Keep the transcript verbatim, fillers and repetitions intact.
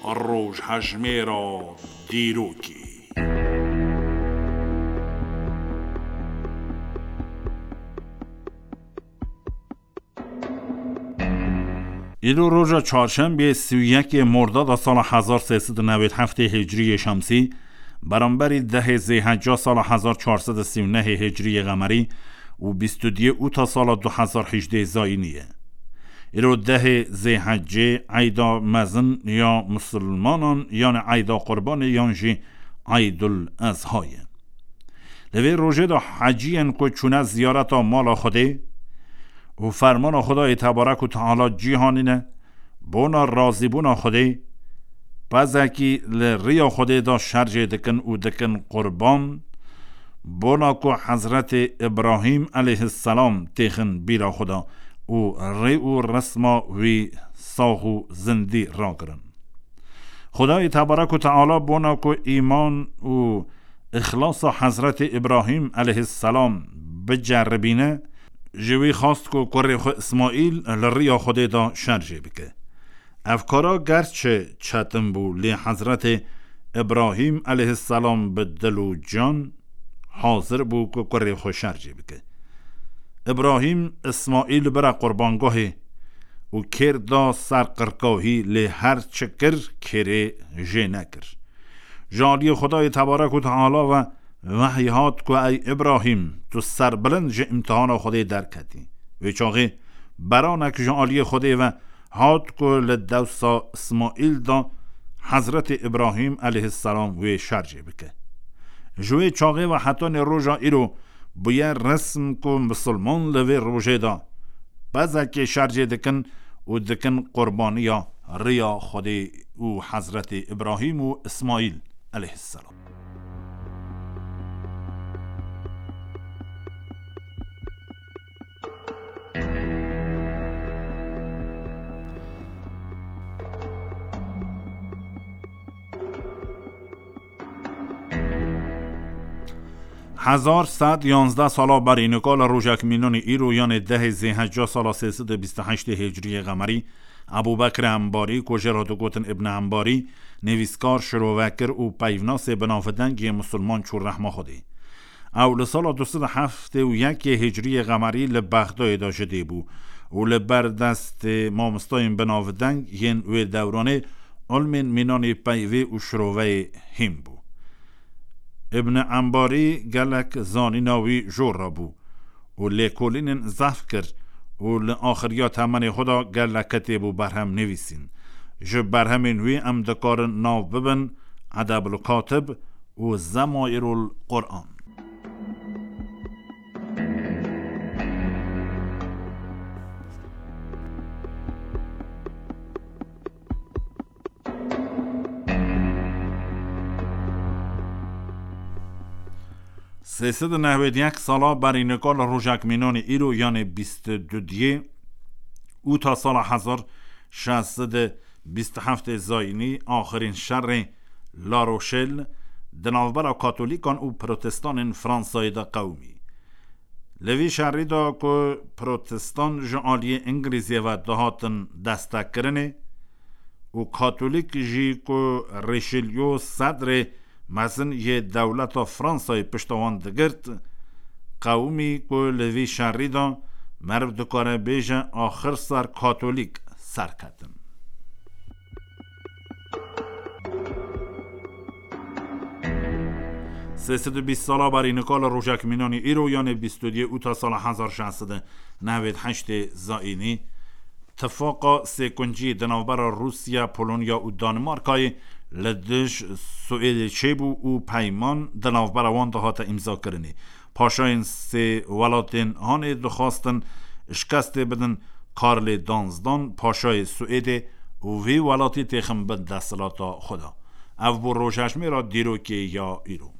Rojhejmêra dîrokê. Îro roja çarşembê sî û yekê Mordada sala hezar sê sed û newêd heftê Hicriyê Şemsî, beramberî dehê Zêhecca sala hezar çar sed û sî û nehê Hicriyê Qemerî û bîst û duyê Ûta sala du hezar hejdê Zayînî ye. Îro dehê Zêhecê eyda mezin ya misilmanan, yanî eyda Qurbanê yan jî Eydul Ezha ye. Li vê rojê de heciyên ku çûne ziyareta mala Xwedê û fermana Xwedayê Tebarek û Teala cî hanîne, bona razîbûna Xwedê, pezekî li riya Xwedê de şerjê dikin û dikin qurban, bona ku Hezretê Îbrahîm eleyhisselam têxin bîra xwe de û rê û resma wî sax û zindî ragirin. Xwedayê Tebarek û Teala bona ku îman û îxlasa Hezretê Îbrahîm eleyhisselam biceribîne, ji wî xwest ku kurê xwe Îsmaîl li riya Xwedê de şerjê bike. Ev kara gerçi çetin bû, lê Hezretê Îbrahîm eleyhisselam bi dil û can hazir bû ku kurê xwe şerjê bike. Îbrahîm Îsmaîl bira qurbangahê û kêr da ser qirkahî, lê her çi kir, kêrê jê nekir. Ji aliyê Xwedayê Tebarek û Teala ve wehy hat ku, ey Îbrahîm, tu serbilind ji îmtihana Xwedê derketî. Wê çaxê beranek ji aliyê Xwedê ve hat ku li dewsa Îsmaîl de Hezretê Îbrahîm eleyhisselam wê şerjê bike. Ji wê çaxê ve hetanê roja îro bûye resm ku misilman li vê rojê de bezekê şerjê dikin û dikin qurbaniya riya Xwedê û Hezretê Îbrahîm û Îsmaîl eleyhisselam. Hezar sed yanzdeh sala berî nika li rojek mînanî îro, yanê dehê Zêhecca sala sê sed û bîst û heştê Hicriyê Qemerî, Ebû Bekr Embarî, ku jê re digotin Ibn Embarî, nivîskar, şirovekir û peyvnasê binavdeng yê misilman çû rehma Xwedê. Ew li sala du sed û heftê û yekê Hicriyê Qemerî li Bexdayê de ji dê bû û li ber destê mamostayên binavdeng yên wê dewranê ilmên mînanê peyvê û şiroveyê hîn bû. Ibn Embarî gelek zanîna wî jor re bû û lêkolînên zehf kir û li axiriya temenê xwe de gelek kitêb û berhem nivîsîn. Ji berhemên wî em dikarin nav bibin Edebul Katib û Zemaîrul Quran. Sê sed û nehwêd yek sala berî nika li rojek mînanê îro, yanê bîst û duyê Ûta sala hezar şeş sed û bîst û heftê Zayînî, axirîn şerê La Rochelle di navbera Katolîkan û Protestanên Fransayê de qewimî. Li vî şerî de ku Protestan ji aliyê Îngilîzê ve dihatin destekkirinê û Katolîk jî ku Richelieu sedrê mezin yê dewleta Fransayê pişta wan digirt, qewimî ku li vî şerî de meriv dikare bêje axir ser Katolîk serketin. Sê sed û bîst sala berî nika li rojek mînanî îro, yanê bîst û duyê Ûta sala hezar şeş sed û newêd heştê Zayînî, tifaqa sêkuncî di navbera Rûsya, Polonya û Danimarkayê li dij Swêdê çêbû û peyman di navbera wan de hate îmzakirinê. Paşayên sê welatên hanê dixwastin şikestê bidin Karlê danzdan, paşayê Swêdê, û vî welatî têxin bin desthilata xwe de. Ev bû rojhejmêra dîrokê ya îro.